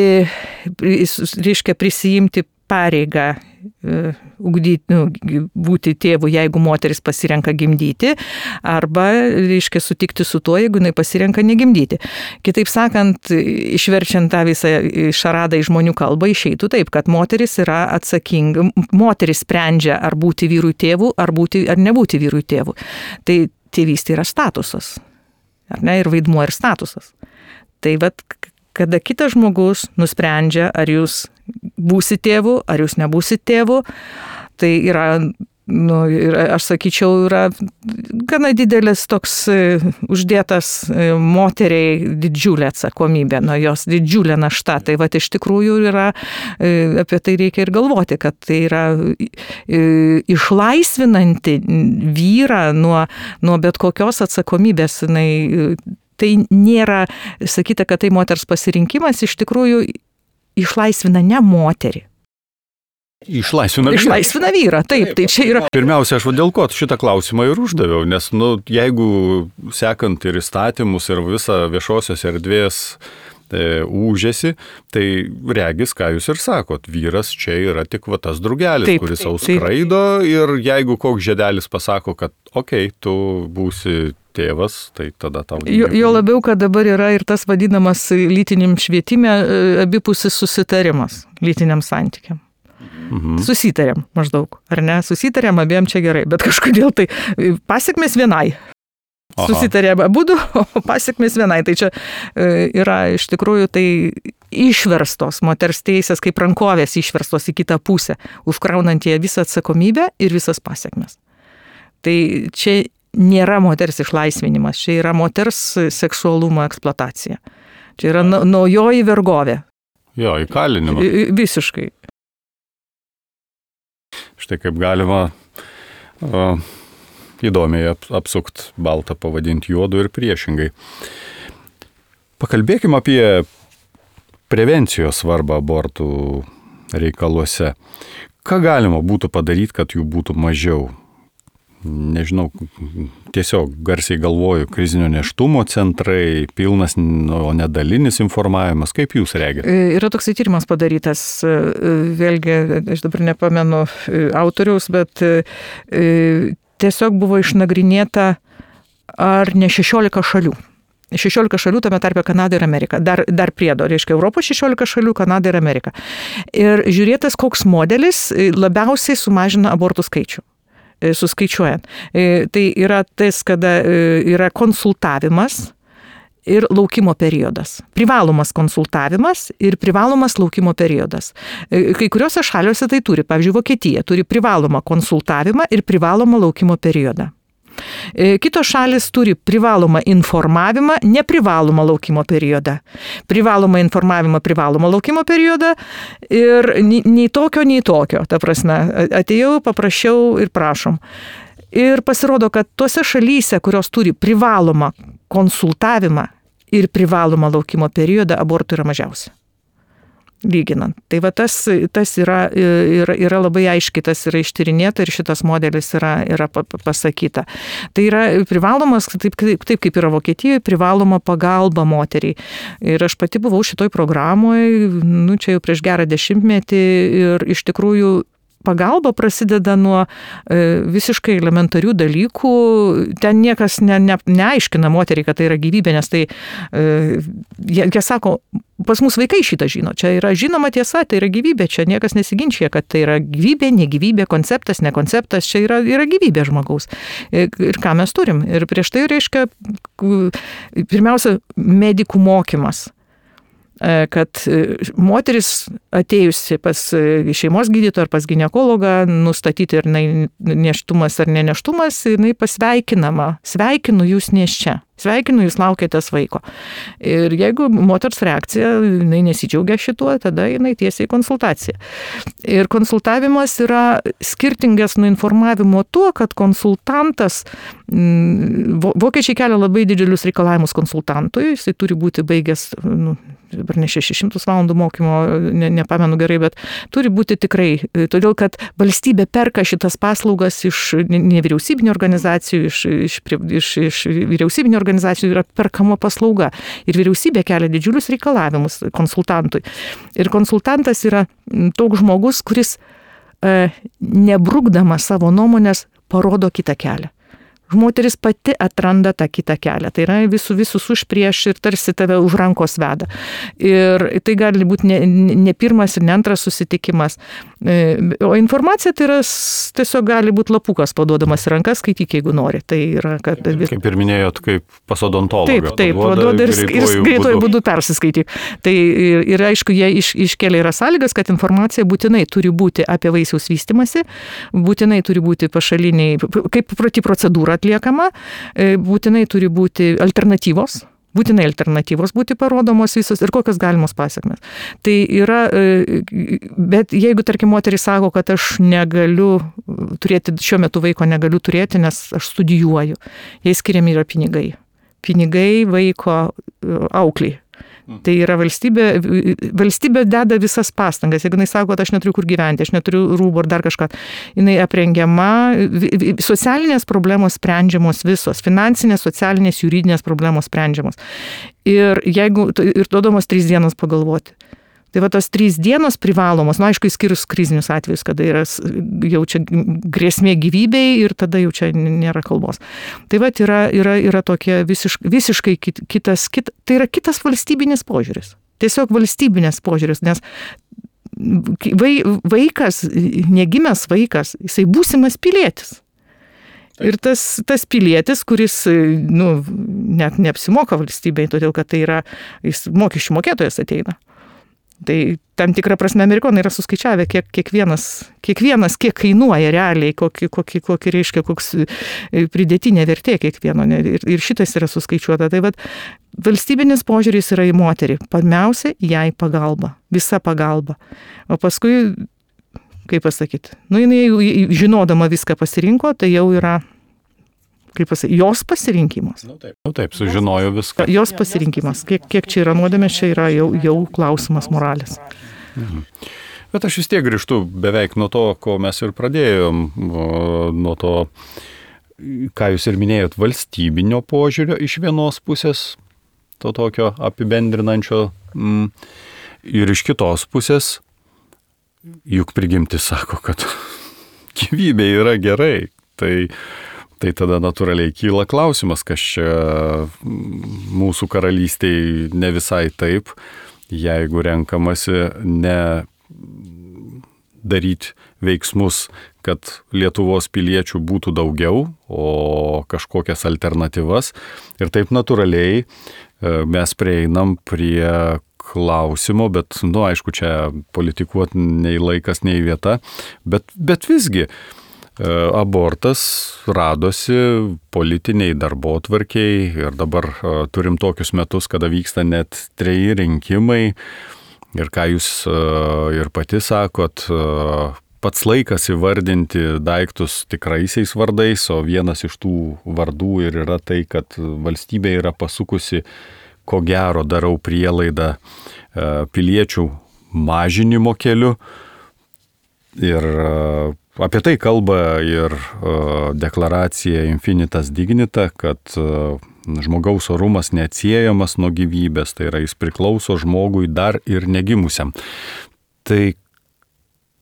reiškia, prisijimti pareigą ugdyti, nu, būti tėvu, jeigu moteris pasirenka gimdyti, arba, reiškia, sutikti su tuo, jeigu jinai pasirenka negimdyti. Kitaip sakant, išverčiant tą visą šaradą į žmonių kalbą, išeitų taip, kad moteris yra atsakinga, moteris sprendžia, ar būti vyrui tėvu, ar, būti, ar nebūti vyrui tėvu. Tai tėvystė yra statusas, ar ne, ir vaidmuo ir statusas. Tai vat, kada kitas žmogus nusprendžia, ar jūs būsi tėvu, ar jūs nebūsi tėvu, tai yra, nu, aš sakyčiau, yra gana didelis toks uždėtas moteriai didžiulė atsakomybė, nuo jos didžiulė našta. Tai va, iš tikrųjų yra, apie tai reikia ir galvoti, kad tai yra išlaisvinanti vyrą nuo, nuo bet kokios atsakomybės. Jinai, tai nėra sakyta, kad tai moters pasirinkimas, iš tikrųjų išlaisvina ne moterį. Išlaisvina vyrą. Išlaisvina vyrą, taip, taip, tai čia yra. Pirmiausia, aš dėl ko šitą klausimą ir uždaviau, nes, nu, jeigu sekant ir įstatymus, ir visą viešosios erdvės e, ūžėsi, tai regis, ką jūs ir sakot, vyras čia yra tik va tas drugelis, taip, kuris sau skraido, ir jeigu koks žiedelis pasako, kad okei, okay, tu būsi tėvas, tai tada tau... Jo, jo labiau, kad dabar yra ir tas vadinamas lytiniam švietime abipusis susitarimas lytiniam santykiam. Mhm. Susitarėm maždaug, ar ne? Susitarėm, abiem čia gerai, bet kažkodėl tai pasiekmės vienai. Aha. Susitarėm abudu, o pasiekmės vienai. Tai čia yra iš tikrųjų tai išverstos moters teisės, kaip rankovės išverstos į kitą pusę, užkraunant jie visą atsakomybę ir visas pasiekmes. Tai čia nėra moters išlaisvinimas, čia yra moters seksualumo eksploatacija. Čia yra naujoji vergovė. Jo, įkalinimas. Visiškai. Štai kaip galima uh, įdomiai apsukt baltą, pavadinti juodu ir priešingai. Pakalbėkime apie prevencijos svarbą abortų reikaluose. Ką galima būtų padaryti, kad jų būtų mažiau? Nežinau, tiesiog garsiai galvoju, krizinio nėštumo centrai, pilnas, o nedalinis informavimas. Kaip jūs regite? Yra toksai tyrimas padarytas, vėlgi, aš dabar nepamenu autoriaus, bet tiesiog buvo išnagrinėta ar ne šešiolika šalių. šešiolika šalių, tame tarpe Kanada ir Amerika. Dar, dar priedo, reiškia Europos šešiolika šalių, Kanada ir Amerika. Ir žiūrėtas, koks modelis labiausiai sumažina abortų skaičių. Suskaičiuojant. Tai yra tas, kada yra konsultavimas ir laukimo periodas. Privalomas konsultavimas ir privalomas laukimo periodas. Kai kuriuose šaliuose tai turi, pavyzdžiui, Vokietija turi privalomą konsultavimą ir privalomą laukimo periodą. Kitos šalis turi privalomą informavimą, neprivalomą laukimo periodą. Privalomą informavimą, privalomą laukimo periodą ir nei tokio, nei tokio. Ta prasme, atėjau, paprašiau ir prašom. Ir pasirodo, kad tose šalyse, kurios turi privalomą konsultavimą ir privalomą laukimo periodą, abortų yra mažiausia. Lyginant. Tai va tas, tas yra, yra, yra labai aiškiai, tas yra ištyrinėta ir šitas modelis yra, yra pasakyta. Tai yra privalomas, taip, taip, taip kaip yra Vokietijoje, privaloma pagalba moteriai. Ir aš pati buvau šitoj programoje, nu, čia jau prieš gerą dešimtmetį ir iš tikrųjų pagalba prasideda nuo e, visiškai elementarių dalykų. Ten niekas ne, ne, neaiškina moteriai, kad tai yra gyvybė, nes tai, e, jie, jie sako, pas mus vaikai šitą žino. Čia yra žinoma tiesa, tai yra gyvybė. Čia niekas nesiginčia, kad tai yra gyvybė, negyvybė, konceptas, ne konceptas. Čia yra, yra gyvybė žmogaus. Ir, ir ką mes turim. Ir prieš tai reiškia, pirmiausia, medikų mokymas. kad moteris atėjusi pas šeimos gydytoją ar pas ginekologą, nustatyti ar nėštumas ar neneštumas, jinai pasveikinama. Sveikinu jūs nėščia. Sveikinu, jūs laukiatės vaiko. Ir jeigu moters reakcija, jinai nesidžiaugia šituo, tada jinai tiesiai konsultacija. Ir konsultavimas yra skirtingas nuo informavimo tuo, kad konsultantas, vokiečiai kelia labai didelius reikalavimus konsultantui, jisai turi būti baigęs, nu, dabar ne šešis šimtus valandų mokymo, ne, nepamenu gerai, bet turi būti tikrai, todėl kad valstybė perka šitas paslaugas iš nevyriausybinių organizacijų, iš, iš, iš, iš vyriausybinių organizacijų yra perkama paslauga. Ir vyriausybė kelia didžiulius reikalavimus konsultantui. Ir konsultantas yra toks žmogus, kuris e, nebrukdamas savo nuomonės parodo kitą kelią. Moteris pati atranda tą kitą kelią. Tai yra visų visus už prieš ir tarsi tave už rankos veda. Ir tai gali būti ne, ne pirmas ir ne antras susitikimas. O informacija tai yra tiesiog gali būti lapukas paduodamas į rankas, skaityk, jeigu nori. Tai yra, kad... Kaip ir minėjot, kaip pas odontologą. Taip, taip, paduoda ir, ir greituoju būdu persiskaityk. Tai ir, ir aišku, jie iš, iškelia yra sąlygas, kad informacija būtinai turi būti apie vaisiaus vystymąsi, būtinai turi būti pašaliniai, kaip proti procedūra atliekama, būtinai turi būti alternatyvos, būtinai alternatyvos būti parodomos visos ir kokios galimos pasiekmes. Tai yra, bet jeigu, tarkim, moteris sako, kad aš negaliu turėti, šiuo metu vaiko negaliu turėti, nes aš studijuoju, jai skiriami yra pinigai. Pinigai vaiko aukliai. Tai yra valstybė, valstybė deda visas pastangas. Jeigu jinai sako, kad aš neturiu kur gyventi, aš neturiu rūbų ar dar kažką, jinai aprengiama, socialinės problemos sprendžiamos visos, finansinės, socialinės, juridinės problemos sprendžiamos. Ir jeigu, ir duodamos trys dienos pagalvoti. Tai va tos trys dienos privalomos, nu aišku, išskyrus krizinius atvejus, kada yra jau čia grėsmė gyvybei ir tada jau čia nėra kalbos. Tai va yra, yra, yra tokia visiškai, visiškai kitas, kit, tai yra kitas valstybinis požiūris. Tiesiog valstybinės požiūris, nes vai, vaikas, negimęs vaikas, jisai būsimas pilietis. Ir tas, tas pilietis, kuris, nu, net neapsimoka valstybei, todėl kad tai yra, jis mokesčių mokėtojas ateina. Tai tam tikrą prasme amerikonai yra suskaičiavę, kiek, kiekvienas, kiekvienas, kiek kainuoja realiai, kokį, kokį, kokį reiškia, koks pridėtinė vertė kiekvieno. Ir, ir šitas yra suskaičiuota. Tai vat, valstybinis požiūris yra į moterį. Pirmiausia, jai pagalba. Visa pagalba. O paskui, kaip pasakyti, nu jinai žinodama viską pasirinko, tai jau yra... kaip pasakyti, jos pasirinkimas. Nu taip, nu taip, sužinojo viską. Jos pasirinkimas. Kiek, kiek čia yra nuodėmės, čia yra jau, jau klausimas moralės. Mhm. Bet aš vis tiek grįžtu beveik nuo to, ko mes ir pradėjom, nuo to, ką jūs ir minėjot, valstybinio požiūrio iš vienos pusės, to tokio apibendrinančio, mm, ir iš kitos pusės, juk prigimtis sako, kad gyvybė yra gerai. Tai Tai tada natūraliai kyla klausimas, kas čia mūsų karalystėje ne visai taip, jeigu renkamasi ne daryti veiksmus, kad Lietuvos piliečių būtų daugiau, o kažkokias alternatyvas. Ir taip natūraliai mes prieinam prie klausimo, bet, nu, aišku, čia politikuoti nei laikas, nei vieta, bet, bet visgi, abortas radosi politiniai darbotvarkiai ir dabar turim tokius metus, kada vyksta net treji rinkimai ir ką jūs ir pati sakot, pats laikas įvardinti daiktus tikraisiais vardais, o vienas iš tų vardų ir yra tai, kad valstybė yra pasukusi, ko gero darau prielaidą, piliečių mažinimo keliu ir apie tai kalba ir uh, deklaracija Infinitas Dignita, kad uh, žmogaus orumas neatsiejamas nuo gyvybės, tai yra jis priklauso žmogui dar ir negimusiam. Tai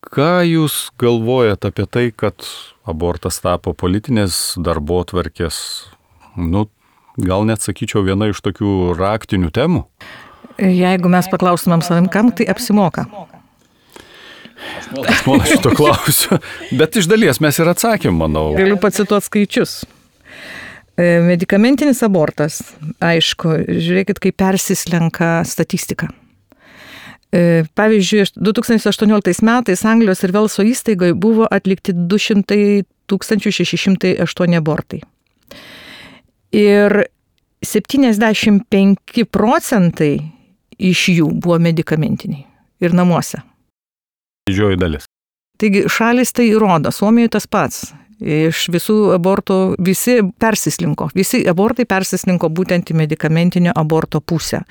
ką jūs galvojat apie tai, kad abortas tapo politinės darbotvarkės, nu, gal net sakyčiau, viena iš tokių raktinių temų? Jeigu mes paklaustumėm savim, kam tai apsimoka? Aš manau šito klausiu, bet iš dalies mes ir atsakėm, manau. Galiu pacituoti skaičius. Medikamentinis abortas, aišku, žiūrėkit, kaip persislenka statistika. Pavyzdžiui, du tūkstančiai aštuonioliktais metais Anglijos ir Velso įstaigoje buvo atlikti du šimtai tūkstančių šeši šimtai aštuoni abortai. Ir septyniasdešimt penki procentai iš jų buvo medikamentiniai ir namuose. Didžioji dalis. Taigi šalis tai įrodo, Suomijoje tas pats. Iš visų abortų visi persislinko, visi abortai persislinko būtent į medikamentinio aborto pusę.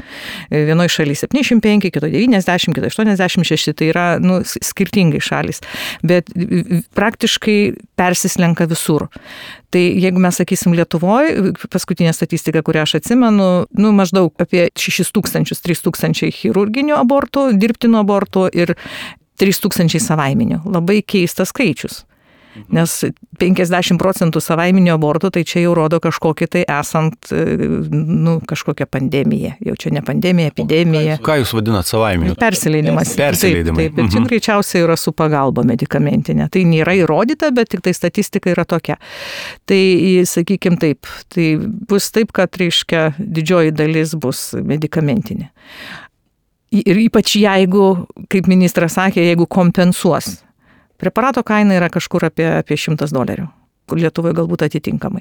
Vienoje šalyje septyniasdešimt penki, kitoje devyniasdešimt, kitoje aštuoniasdešimt šeši, tai yra nu, skirtingai šalis, bet praktiškai persislenka visur. Tai jeigu mes sakysim Lietuvoje, paskutinė statistika, kurią aš atsimenu, nu, maždaug apie šešis tūkstančius, trys tūkstančiai chirurginių abortų, dirbtinų abortų ir trys tūkstančiai savaiminių. Labai keistas skaičius. Nes penkiasdešimt procentų savaiminio abortų, tai čia jau rodo kažkokį tai esant, nu, kažkokią pandemiją. Jau čia ne pandemija, epidemija. Ką jūs vadinat savaiminiu? Persileidimas. Persileidimai. Taip, taip, bet čia mhm. greičiausiai yra su pagalba medikamentinė. Tai nėra įrodyta, bet tik tai statistika yra tokia. Tai, sakykim taip, tai bus taip, kad, reiškia, didžioji dalis bus medikamentinė. Ir ypač jeigu, kaip ministras sakė, jeigu kompensuos. Preparato kaina yra kažkur apie, apie šimtas dolerių, kur Lietuvoje galbūt atitinkamai.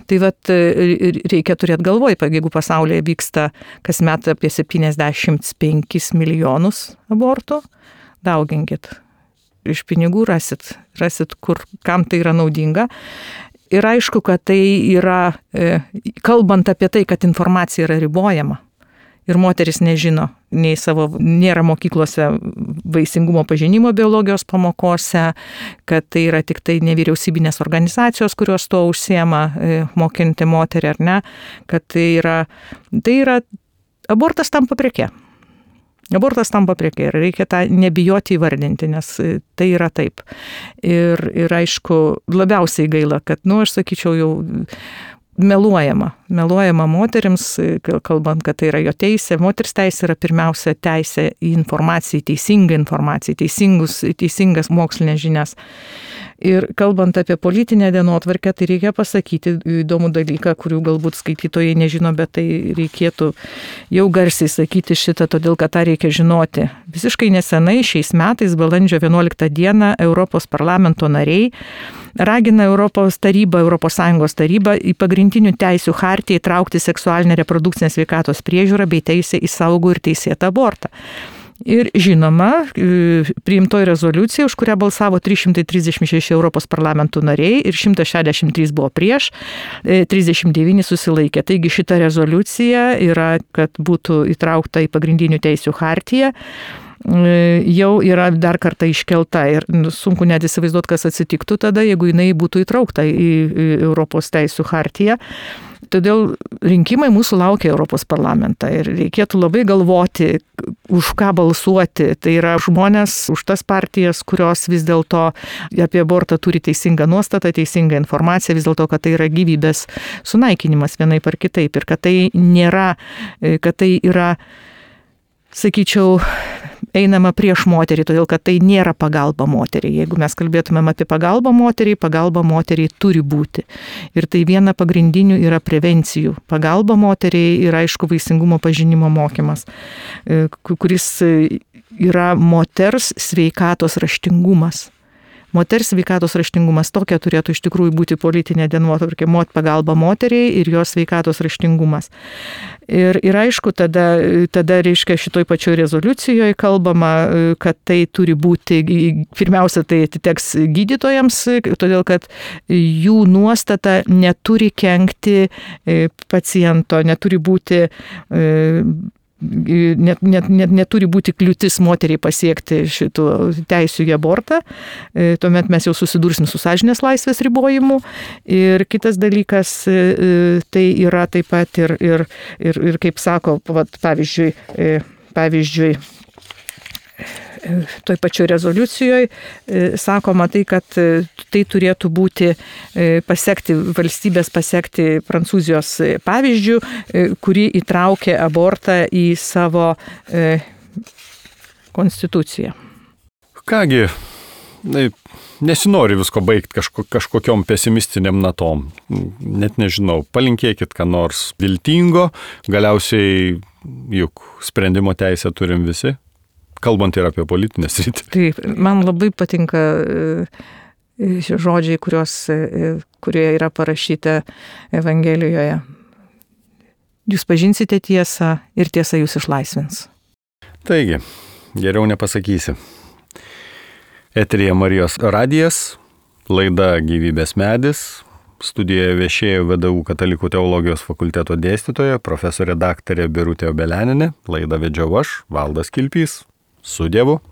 Tai vat reikia turėti galvoj, jeigu pasaulyje vyksta kasmet apie septyniasdešimt penkis milijonus abortų, dauginkit. Iš pinigų rasit, rasit, kur, kam tai yra naudinga. Ir aišku, kad tai yra, kalbant apie tai, kad informacija yra ribojama. Ir moteris nežino, nei savo, nėra mokyklose vaisingumo pažinimo biologijos pamokose, kad tai yra tik tai nevyriausybinės organizacijos, kurios tuo užsiema, mokinti moterį ar ne, kad tai yra, tai yra, abortas tampa preke. Abortas tampa preke ir reikia tą nebijoti įvardinti, nes tai yra taip. Ir, ir aišku, labiausiai gaila, kad, nu, aš sakyčiau, jau meluojama, meluojama moterims, kalbant, kad tai yra jo teisė. Moters teisė yra pirmiausia teisė į informaciją, teisingą informaciją, teisingus, teisingas mokslinės žinias. Ir kalbant apie politinę dienotvarkę, tai reikia pasakyti įdomų dalyką, kurių galbūt skaitytojai nežino, bet tai reikėtų jau garsiai sakyti šitą, todėl kad tą reikia žinoti. Visiškai nesenai šiais metais, balandžio vienuoliktą dieną, Europos parlamento nariai ragina Europos tarybą, Europos Sąjungos tarybą į pagrindinių teisių chartiją įtraukti seksualinę reprodukcinę sveikatos priežiūrą bei teisę į saugų ir teisėtą abortą. Ir žinoma, priimtoji rezoliucija, už kurią balsavo trys šimtai trisdešimt šeši Europos parlamentų nariai ir šimtas šešiasdešimt trys buvo prieš, trisdešimt devyni susilaikė. Taigi šita rezoliucija yra, kad būtų įtraukta į pagrindinių teisių chartiją, jau yra dar kartą iškelta ir sunku net įsivaizduoti, kas atsitiktų tada, jeigu jinai būtų įtraukta į Europos teisių chartiją. Todėl rinkimai mūsų laukia Europos parlamentą ir reikėtų labai galvoti, už ką balsuoti. Tai yra žmonės už tas partijas, kurios vis dėlto apie abortą turi teisingą nuostatą, teisingą informaciją, vis dėlto, kad tai yra gyvybės sunaikinimas vienaip ar kitaip ir kad tai nėra, kad tai yra, sakyčiau, einama prieš moterį, todėl kad tai nėra pagalba moteriai. Jeigu mes kalbėtumėm apie pagalbą moteriai, pagalba moteriai turi būti. Ir tai viena pagrindinių yra prevencijų. Pagalba moteriai yra, aišku, vaisingumo pažinimo mokymas, kuris yra moters sveikatos raštingumas. Moters sveikatos raštingumas tokia turėtų iš tikrųjų būti politinė dienotvarkė, pagalba moteriai ir jos sveikatos raštingumas. Ir, ir aišku, tada, tada reiškia šitoj pačioj rezoliucijoje kalbama, kad tai turi būti, pirmiausia, tai atiteks gydytojams, todėl kad jų nuostata neturi kenkti paciento, neturi būti Net, net, net, neturi būti kliūtis moteriai pasiekti šitų teisių į abortą, tuomet mes jau susidursim su sąžinės laisvės ribojimu. Ir kitas dalykas, tai yra taip pat ir, ir, ir, ir kaip sako, pavyzdžiui, pavyzdžiui, toj pačioj rezoliucijoje sakoma tai, kad tai turėtų būti pasiekti, valstybės pasiekti Prancūzijos pavyzdžių, kuri įtraukė abortą į savo konstituciją. Kągi, nesinori visko baigti kažko, kažkokiom pesimistiniam natom. Net nežinau, palinkėkit ką nors viltingo, galiausiai juk sprendimo teisę turim visi. kalbant ir apie politinę sritį. Taip, man labai patinka šie žodžiai, kurios, kurie yra parašyti Evangelijoje. Jūs pažinsite tiesą ir tiesa jūs išlaisvins. Taigi, geriau nepasakysi. Eteryje Marijos radijas, laida Gyvybės medis. Studijoje viešėjo V D U Katalikų teologijos fakulteto dėstytoja, profesorė daktarė Birutė Obeleninė. Laidą vedžiau aš, Valdas Kilpys. Su Dievu.